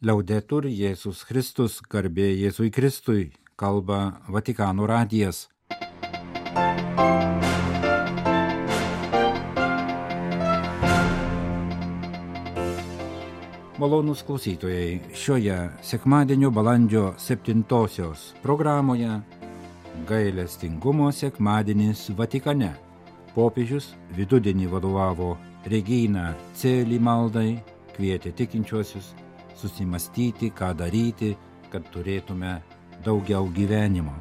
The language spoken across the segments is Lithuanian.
Liaudetur Jėzus Kristus, garbė Jėzui Kristui, kalba Vatikano radijas. Malonūs klausytojai, šioje sekmadienio balandžio 7-osios programoje gailestingumo sekmadienis Vatikane. Popiežius vidudienį vadovavo Regina Coeli maldai, kvietė tikinčiuosius susimastyti, ką daryti, kad turėtume daugiau gyvenimo.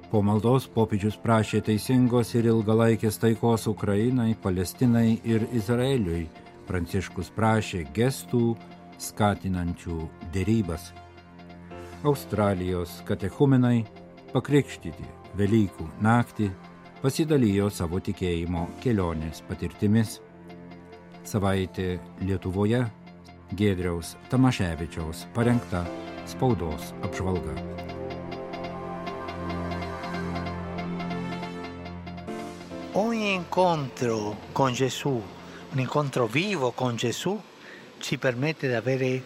Po maldos popiežius prašė teisingos ir ilgalaikės taikos Ukrainai, Palestinai ir Izraeliui. Pranciškus prašė gestų skatinančių derybas. Australijos katechumenai pakrikštyti Velykų naktį pasidalijo savo tikėjimo kelionės patirtimis. Savaitė Lietuvoje Giedriaus Tamaševičiaus parengta spaudos apžvalga. Ogni incontro con Gesù, un incontro vivo con Gesù, ci permette di avere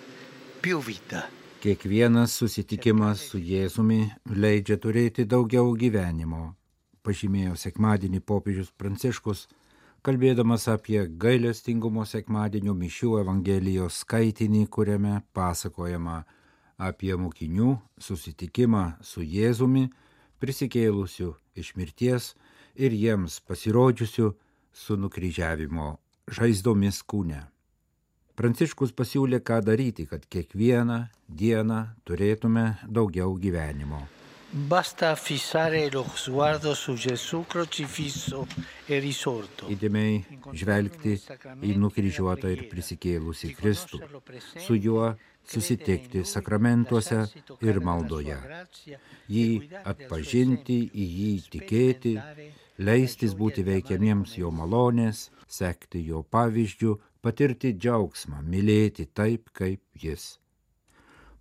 più vita. Kiekvienas susitikimas su Jėzumi leidžia turėti daugiau gyvenimo, pažymėjo sekmadienį popiežius Pranciškus, kalbėdamas apie gailestingumo sekmadienio mišių Evangelijos skaitinį, kuriame pasakojama apie mokinių susitikimą su Jėzumi, prisikėlusiu iš mirties ir jiems pasirodžiusiu su nukryžiavimo žaizdomis kūne. Pranciškus pasiūlė, ką daryti, kad kiekvieną dieną turėtume daugiau gyvenimo. Basta fissare lo sguardo su Gesù crocifisso e risorto. Įdėmiai žvelgti į nukryžiuotą ir prisikėlusį Kristų, su juo susitikti sakramentuose ir maldoje, jį atpažinti, į jį tikėti, leistis būti veikiamiems jo malonės, sekti jo pavyzdžiu, patirti džiaugsmą, mylėti taip, kaip jis.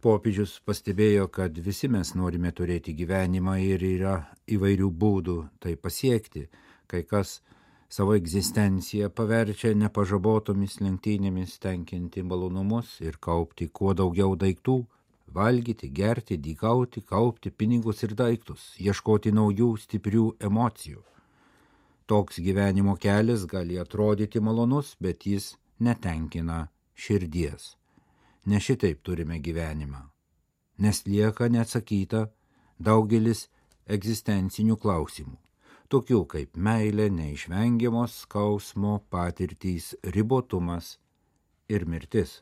Popiežius pastebėjo, kad visi mes norime turėti gyvenimą ir yra įvairių būdų tai pasiekti. Kai kas savo egzistenciją paverčia nepažabotomis lenktynėmis tenkinti malonumus ir kaupti kuo daugiau daiktų, valgyti, gerti, dykauti, kaupti pinigus ir daiktus, ieškoti naujų stiprių emocijų. Toks gyvenimo kelias gali atrodyti malonus, bet jis netenkina širdies. Ne šitaip turime gyvenimą, nes lieka neatsakyta daugelis egzistencinių klausimų, tokių kaip meilė, neišvengiamos skausmo patirtys, ribotumas ir mirtis.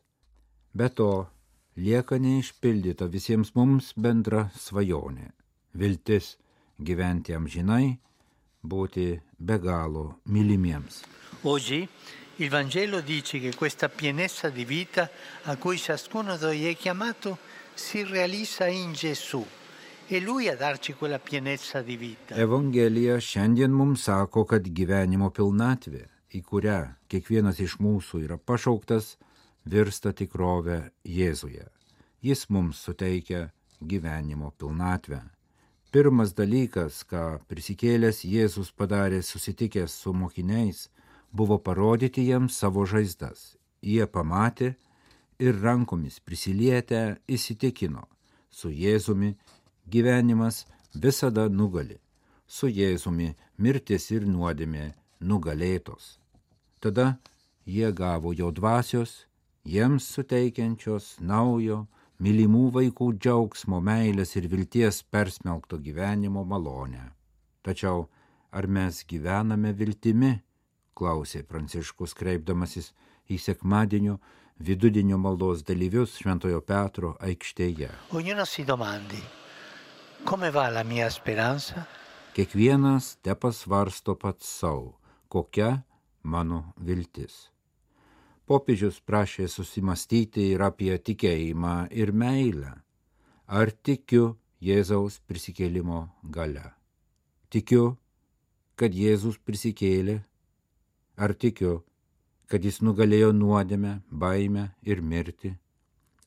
Be to, lieka neišpildyta visiems mums bendra svajonė, viltis gyventi amžinai, būti be galo mylimiems. Oggi il Vangelo dice che questa pienezza di vita a cui ciascuno di noi è chiamato si realizza in Gesù. È Lui a darci quella pienezza di vita. Evangelija šiandien mums sako, kad gyvenimo pilnatvė, į kurią kiekvienas iš mūsų yra pašauktas, virsta tikrove Jėzuje. Jis mums suteikia gyvenimo pilnatvę. Pirmas dalykas, ką prisikėlęs Jėzus padarė susitikęs su mokiniais, buvo parodyti jiems savo žaizdas. Jie pamatė ir rankomis prisilietę įsitikino, su Jėzumi gyvenimas visada nugali, su Jėzumi mirtis ir nuodėmė nugalėtos. Tada jie gavo jo dvasios, jiems suteikiančios naujo, mylimų vaikų džiaugsmo, meilės ir vilties persmelkto gyvenimo malonę. Tačiau ar mes gyvename viltimi? Klausė Pranciškus, kreipdamasis į sekmadienio vidudienio maldos dalyvius Šventojo Petro aikštėje. Ognuno si domandi, come va la mia speranza? Kiekvienas tepasvarsto pats savo, kokia mano viltis. Popiežius prašė susimastyti ir apie tikėjimą ir meilę. Ar tikiu Jėzaus prisikėlimo galia? Tikiu, kad Jėzus prisikėlė? Ar tikiu, kad jis nugalėjo nuodėmę, baimę ir mirtį?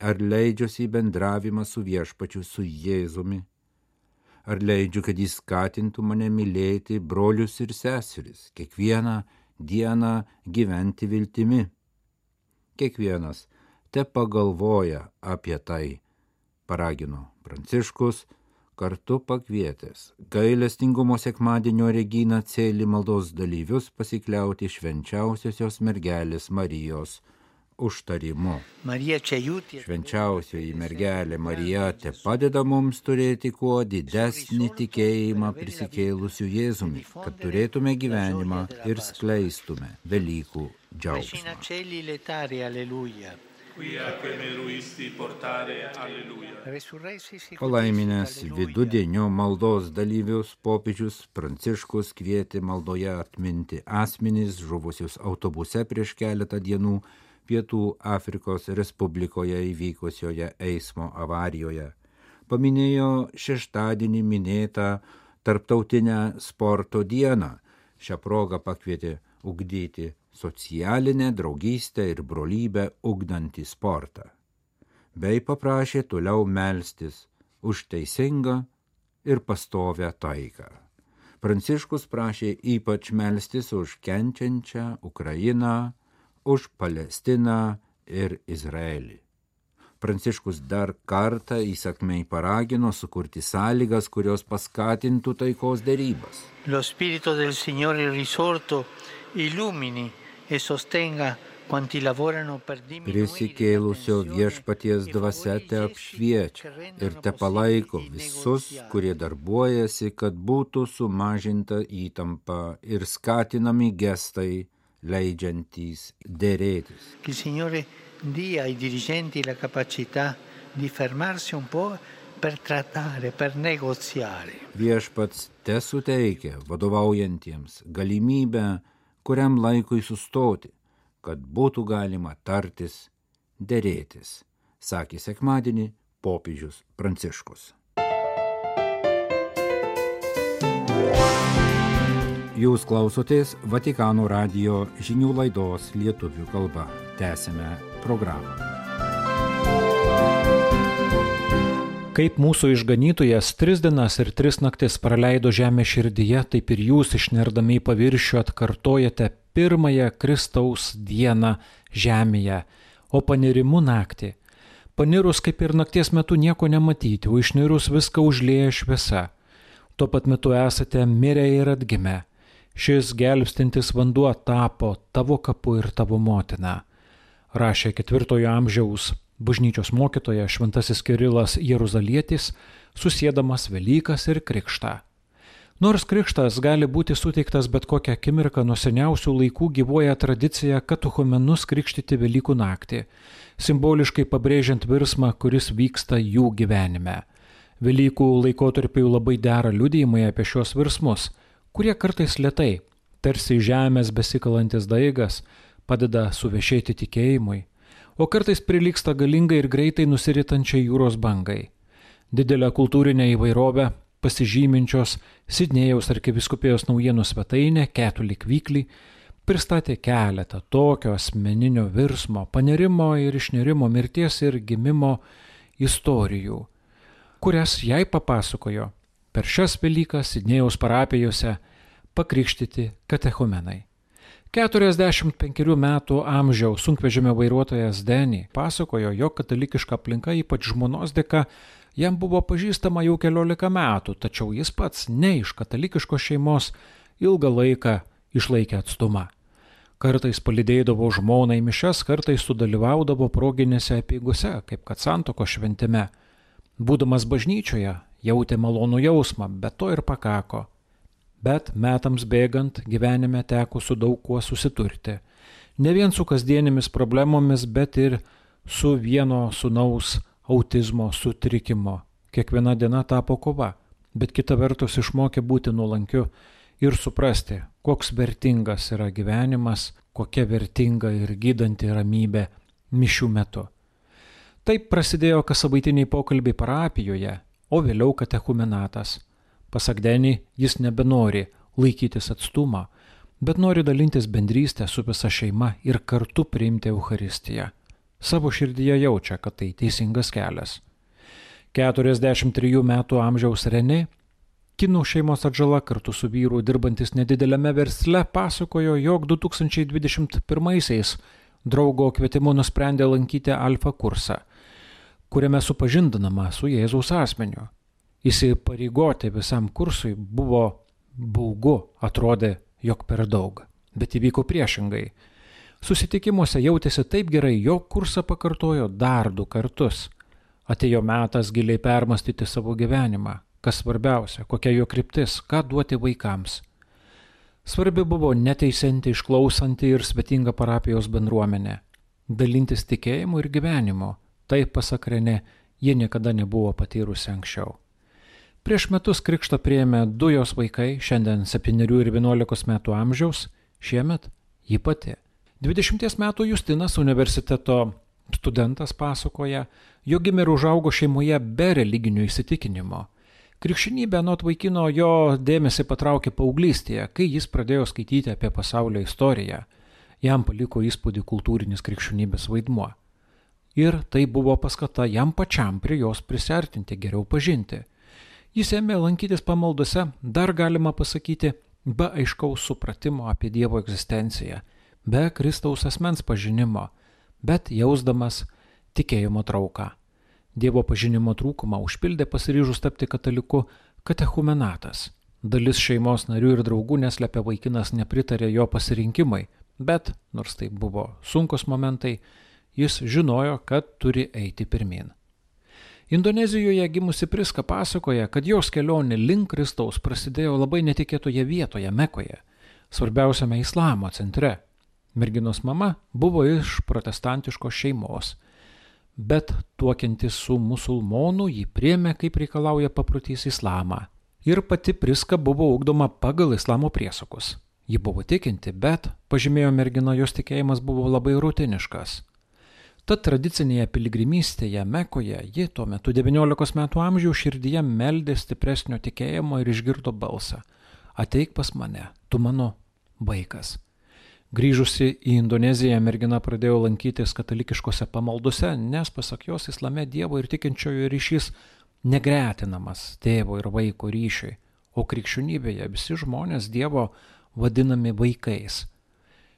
Ar leidžiuosi į bendravimą su viešpačiu, su Jėzumi? Ar leidžiu, kad jis skatintų mane mylėti brolius ir seseris, kiekvieną dieną gyventi viltimi? Kiekvienas te pagalvoja apie tai, paragino Pranciškus, kartu pakvietęs gailestingumo sekmadienio Reginą Cėlį maldos dalyvius pasikliauti švenčiausiosios mergelės Marijos užtarimu. Švenčiausioji mergelė Marija te padeda mums turėti kuo didesnį tikėjimą prisikėlusiu Jėzumi, kad turėtume gyvenimą ir skleistume Velykų džiaugsmą. Palaiminęs vidudienio maldos dalyvius popiežius Pranciškus kvietė maldoje atminti asmenys žuvusius autobuse prieš keletą dienų Pietų Afrikos Respublikoje įvykusioje eismo avarijoje. Paminėjo šeštadienį minėtą Tarptautinę sporto dieną. Šią progą pakvietė ugdyti socialinę draugystę ir brolybę ugdantį sportą, bei paprašė toliau melstis už teisingą ir pastovią taiką. Pranciškus prašė ypač melstis už kenčiančią Ukrainą, už Palestiną ir Izraelį. Pranciškus dar kartą įsakmiai paragino sukurti sąlygas, kurios paskatintų taikos derybas. Lo spirito del Signore risorto illumini e sostenga quanti lavorano per diminuire. Prisikėlusio viešpaties dvasia te apšviečia ir te palaiko visus, kurie darbuojasi, kad būtų sumažinta įtampa ir skatinami gestai, leidžiantys derėtis. Il Signore dia ai dirigenti la capacità di fermarsi un po' per trattare, per negoziare. Viešpats te suteikia vadovaujantiems galimybę kuriam laikui sustoti, kad būtų galima tartis, derėtis, sakė sekmadienį popiežius Pranciškus. Jūs klausotės Vatikano radijo žinių laidos lietuvių kalba. Tęsime programą. Kaip mūsų išganytojas 3 dienas ir 3 naktis praleido žemės širdyje, taip ir jūs išnerdami į paviršių atkartojate pirmąją Kristaus dieną žemėje, o panirimu naktį. Panirus kaip ir nakties metu nieko nematyti, o išnirus viską užlieja šviesa. Tuo pat metu esate mirę ir atgimę. Šis gelbstintis vanduo tapo tavo kapu ir tavo motina. Rašė 4 amžiaus bažnyčios mokytoja šventasis Kirilas Jeruzalietis, susiedamas Velykas ir krikštą. Nors krikštas gali būti suteiktas bet kokią akimirką, nuo seniausių laikų gyvuoja tradicija katechumenus krikštyti Velykų naktį, simboliškai pabrėžiant virsmą, kuris vyksta jų gyvenime. Velykų laikotarpiu labai dera liudijimai apie šios virsmus, kurie kartais lėtai, tarsi žemės besikalantis daigas, padeda suvešėti tikėjimui, o kartais prilygsta galingai ir greitai nusiritančiai jūros bangai. Didelę kultūrinę įvairovę pasižyminčios Sidnėjaus arkivyskupijos naujienų svetainė Catholic Weekly pristatė keletą tokio asmeninio virsmo, panirimo ir išnirimo, mirties ir gimimo istorijų, kurias jai papasakojo per šias Velykas Sidnėjaus parapijose pakrikštyti katechumenai. 45 metų amžiaus sunkvežimio vairuotojas Denny pasakojo, jog katalikiška aplinka, ypač žmonos dėka, jam buvo pažįstama jau 14 metų, tačiau jis pats ne iš katalikiškos šeimos ilgą laiką išlaikė atstumą. Kartais palydėdavo žmoną į mišias, kartais sudalyvaudavo proginėse apeigose, kaip kad santuokos šventime. Būdamas bažnyčioje, jautė malonų jausmą, bet to ir pakako. Bet metams bėgant gyvenime teko su daug kuo susiturti. Ne vien su kasdienėmis problemomis, bet ir su vieno sūnaus autizmo sutrikimo. Kiekviena diena tapo kova, bet kita vertus išmokė būti nuolankiu ir suprasti, koks vertingas yra gyvenimas, kokia vertinga ir gydanti ramybė mišių metu. Taip prasidėjo kassavaitiniai pokalbiai parapijoje, o vėliau katechumenatas. Pasak Denny, jis nebenori laikytis atstumą, bet nori dalintis bendrystę su visa šeima ir kartu priimti Eucharistiją. Savo širdyje jaučia, kad tai teisingas kelias. 43 metų amžiaus Renė, kinų šeimos atžala kartu su vyru dirbantis nedideliame versle, pasakojo, jog 2021-aisiais draugo kvietimu nusprendė lankyti alfa kursą, kuriame supažindinama su Jėzaus asmeniu. Įsipareigoti visam kursui buvo baugu, atrodė, jog per daug, bet įvyko priešingai. Susitikimuose jautėsi taip gerai, jog kursą pakartojo dar 2 kartus. Atėjo metas giliai permastyti savo gyvenimą, kas svarbiausia, kokia jo kryptis, ką duoti vaikams. Svarbi buvo neteisinti, išklausanti ir svetinga parapijos bendruomenė, dalintis tikėjimu ir gyvenimu, taip pasak Renė, ji niekada nebuvo patyrusi anksčiau. Prieš metus krikštą priėmė 2 jos vaikai, šiandien 7 ir 11 metų amžiaus, šiemet ji pati. 20 metų Justinas, universiteto studentas, pasakoja, jog gimė ir užaugo šeimoje be religinių įsitikinimo. Krikščionybė anot vaikino jo dėmesį patraukė paauglystėje, kai jis pradėjo skaityti apie pasaulio istoriją. Jam paliko įspūdį kultūrinis krikščionybės vaidmuo. Ir tai buvo paskata jam pačiam prie jos prisiartinti, geriau pažinti. Jis ėmė lankytis pamaldose, dar galima pasakyti, be aiškaus supratimo apie Dievo egzistenciją, be Kristaus asmens pažinimo, bet jausdamas tikėjimo trauką. Dievo pažinimo trūkumą užpildė pasiryžus tapti kataliku katechumenatas. Dalis šeimos narių ir draugų neslepia, vaikinas nepritarė jo pasirinkimai, bet, nors tai buvo sunkus momentai, jis žinojo, kad turi eiti pirmin. Indonezijoje gimusi Priska pasakoja, kad jos kelionė link Kristaus prasidėjo labai netikėtoje vietoje, Mekoje, svarbiausiame islamo centre. Merginos mama buvo iš protestantiškos šeimos, bet tuokiantis su musulmonu jį priėmė, kaip reikalauja paprotys, islamą. Ir pati Priska buvo ugdoma pagal islamo priesakus. Ji buvo tikinti, bet, pažymėjo mergina, jos tikėjimas buvo labai rutiniškas. Tad tradicinėje piligrimystėje Mekoje ji tuo metu 19 metų amžiaus širdyje meldė stipresnio tikėjimo ir išgirdo balsą: ateik pas mane, tu mano vaikas. Grįžusi į Indoneziją, mergina pradėjo lankytis katalikiškose pamaldose, nes pasak jos islame Dievo ir tikinčiojo ryšys negretinamas tėvo ir vaiko ryšiui, o krikščionybėje visi žmonės Dievo vadinami vaikais.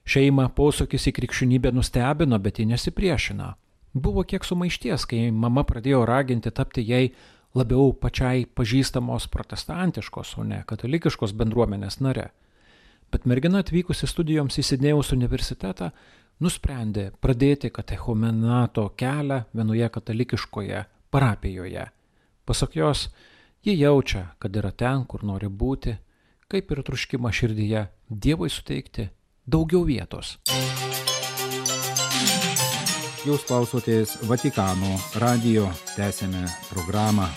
Šeimą posūkis į krikščionybę nustebino, bet ji nesipriešino. Buvo kiek sumaišties, kai mama pradėjo raginti tapti jai labiau pačiai pažįstamos protestantiškos, o ne katalikiškos bendruomenės nare. Bet mergina atvykusi studijoms į Sidnėjaus universitetą nusprendė pradėti katechumenato kelią vienoje katalikiškoje parapijoje. Pasak jos, ji jaučia, kad yra ten, kur nori būti, kaip ir troškimą širdyje Dievui suteikti daugiau vietos. Jūs klausotės Vatikano radijo, tęsėme programą.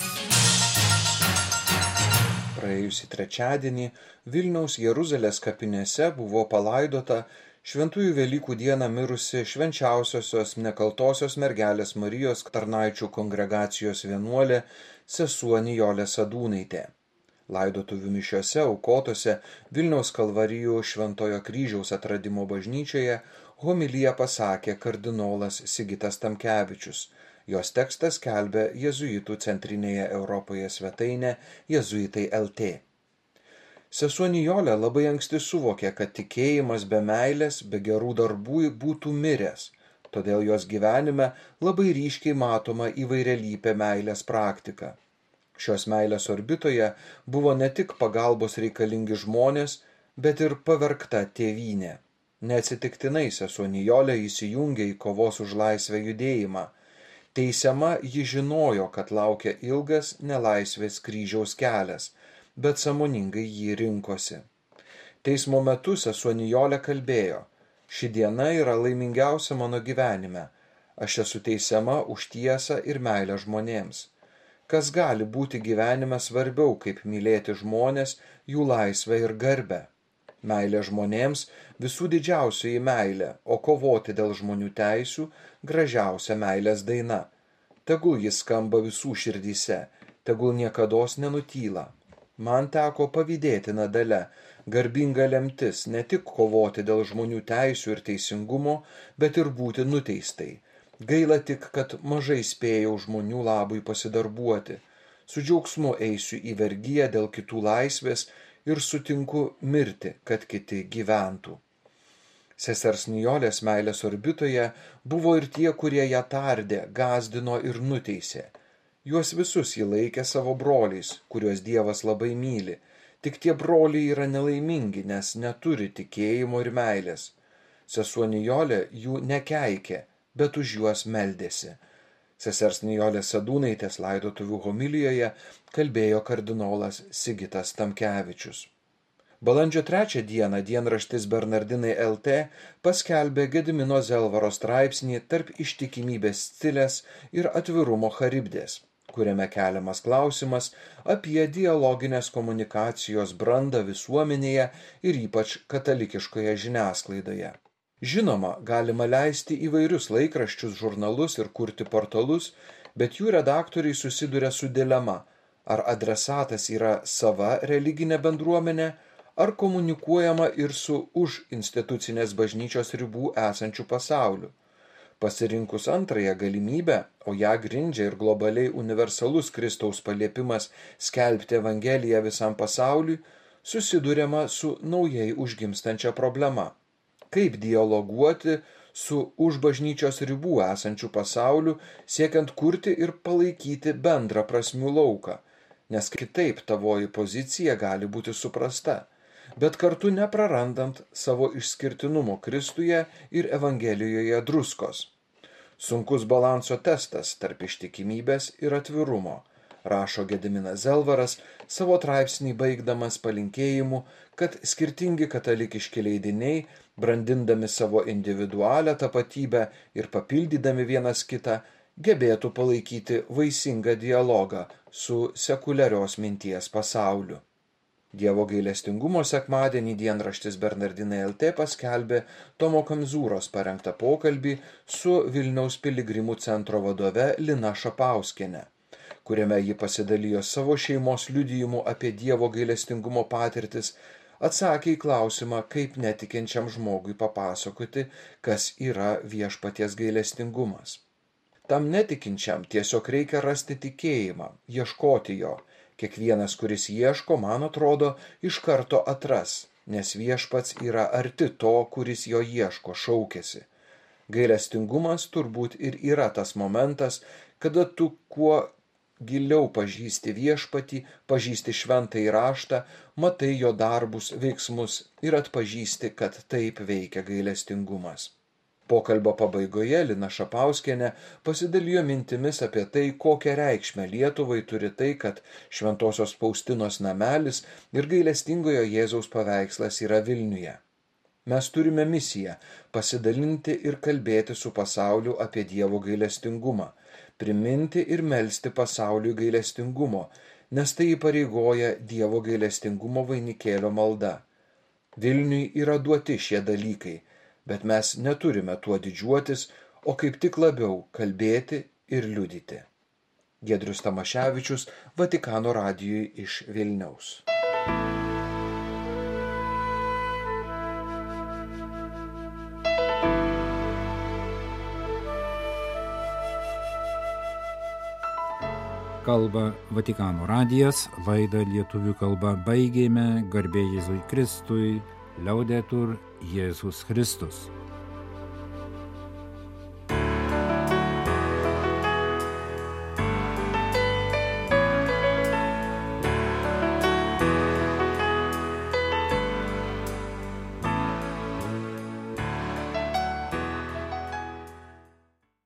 Praėjusį trečiadienį Vilniaus Jeruzalės kapinėse buvo palaidota Šventųjų Velykų dieną mirusi švenčiausiosios nekaltosios mergelės Marijos tarnaičių kongregacijos vienuolė sesuo Nijolė Sadūnaitė. Laidotuvių mišiose aukotose Vilniaus Kalvarijų Šventojo Kryžiaus atradimo bažnyčioje homiliją pasakė kardinolas Sigitas Tamkevičius. Jos tekstas skelbia jėzuitų centrinėje Europoje svetainė Jėzuitai LT. Sesuo Nijolė labai anksti suvokė, kad tikėjimas be meilės, be gerų darbų būtų miręs, todėl jos gyvenime labai ryškiai matoma įvairialypė meilės praktika. Šios meilės orbitoje buvo ne tik pagalbos reikalingi žmonės, bet ir pavergta tėvynė. Neatsitiktinai sesuo Nijolė įsijungė į kovos už laisvę judėjimą. Teisiama ji žinojo, kad laukia ilgas nelaisvės kryžiaus kelias, bet sąmoningai jį rinkosi. Teismo metu sesuo Nijolė kalbėjo: ši diena yra laimingiausia mano gyvenime. Aš esu teisiama už tiesą ir meilę žmonėms. Kas gali būti gyvenime svarbiau, kaip mylėti žmonės, jų laisvę ir garbę? Meilė žmonėms visų didžiausioji meilė, o kovoti dėl žmonių teisių gražiausia meilės daina. Tegul jis skamba visų širdyse, tegul niekados nenutyla. Man teko pavydėtina dalia, garbinga lemtis ne tik kovoti dėl žmonių teisių ir teisingumo, bet ir būti nuteistai. Gaila tik, kad mažai spėjau žmonių labui pasidarbuoti. Su džiaugsmu eisiu į vergiją dėl kitų laisvės ir sutinku mirti, kad kiti gyventų. Sesers Nijolės meilės orbitoje buvo ir tie, kurie ją tardė, gąsdino ir nuteisė. Juos visus ji laikė savo broliais, kuriuos Dievas labai myli. Tik tie broliai yra nelaimingi, nes neturi tikėjimo ir meilės. Sesuo Nijolė jų nekeikė, bet už juos meldėsi. Sesers Nijolės Sadūnaitės laidotuvių homilijoje kalbėjo kardinolas Sigitas Tamkevičius. Balandžio 3 dieną dienraštis Bernardinai LT paskelbė Gedimino Zelvaro straipsnį Tarp ištikimybės Scilės ir atvirumo Charibdės, kuriame keliamas klausimas apie dialoginės komunikacijos brandą visuomenėje ir ypač katalikiškoje žiniasklaidoje. Žinoma, galima leisti įvairius laikraščius, žurnalus ir kurti portalus, bet jų redaktoriai susiduria su dilema, ar adresatas yra sava religinė bendruomenė, ar komunikuojama ir su už institucinės bažnyčios ribų esančiu pasauliu. Pasirinkus antrąją galimybę, o ją grindžia ir globaliai universalus Kristaus paliepimas skelbti Evangeliją visam pasauliui, susiduriama su naujai užgimstančia problema. Kaip dialoguoti su už bažnyčios ribų esančiu pasauliu, siekiant kurti ir palaikyti bendrą prasmių lauką, nes kitaip tavoji pozicija gali būti suprasta, bet kartu neprarandant savo išskirtinumo Kristuje ir Evangelijoje druskos. Sunkus balanso testas tarp ištikimybės ir atvirumo, rašo Gediminas Zelvaras savo straipsnį baigdamas palinkėjimu, kad skirtingi katalikiški leidiniai, brandindami savo individualią tapatybę ir papildydami vienas kitą, gebėtų palaikyti vaisingą dialogą su sekuliarios minties pasauliu. Dievo gailestingumo sekmadienį dienraštis Bernardinai LT paskelbė Tomo Kamzūros parengtą pokalbį su Vilniaus piligrimų centro vadove Lina Šapauskiene, kuriame ji pasidalijo savo šeimos liudijimu apie Dievo gailestingumo patirtis, atsakė į klausimą, kaip netikinčiam žmogui papasakoti, kas yra viešpaties gailestingumas. Tam netikinčiam tiesiog reikia rasti tikėjimą, ieškoti jo. Kiekvienas, kuris ieško, man atrodo, iš karto atras, nes viešpats yra arti to, kuris jo ieško, šaukiasi. Gailestingumas turbūt ir yra tas momentas, kada tu kuo giliau pažįsti viešpatį, pažįsti šventąjį raštą, matai jo darbus, veiksmus ir atpažįsti, kad taip veikia gailestingumas. Pokalbio pabaigoje Lina Šapauskienė pasidalijo mintimis apie tai, kokią reikšmę Lietuvai turi tai, kad Šventosios Faustinos namelis ir gailestingojo Jėzaus paveikslas yra Vilniuje. Mes turime misiją pasidalinti ir kalbėti su pasauliu apie Dievo gailestingumą, priminti ir melsti pasauliui gailestingumo, nes tai įpareigoja Dievo gailestingumo vainikėlio malda. Vilniui yra duoti šie dalykai, bet mes neturime tuo didžiuotis, o kaip tik labiau kalbėti ir liudyti. Giedrius Tamaševičius, Vatikano radijui iš Vilniaus. Kalba Vatikano radijas, laidą lietuvių kalba baigėme, garbė Jėzui Kristui, Liaudetur Jėzus Kristus.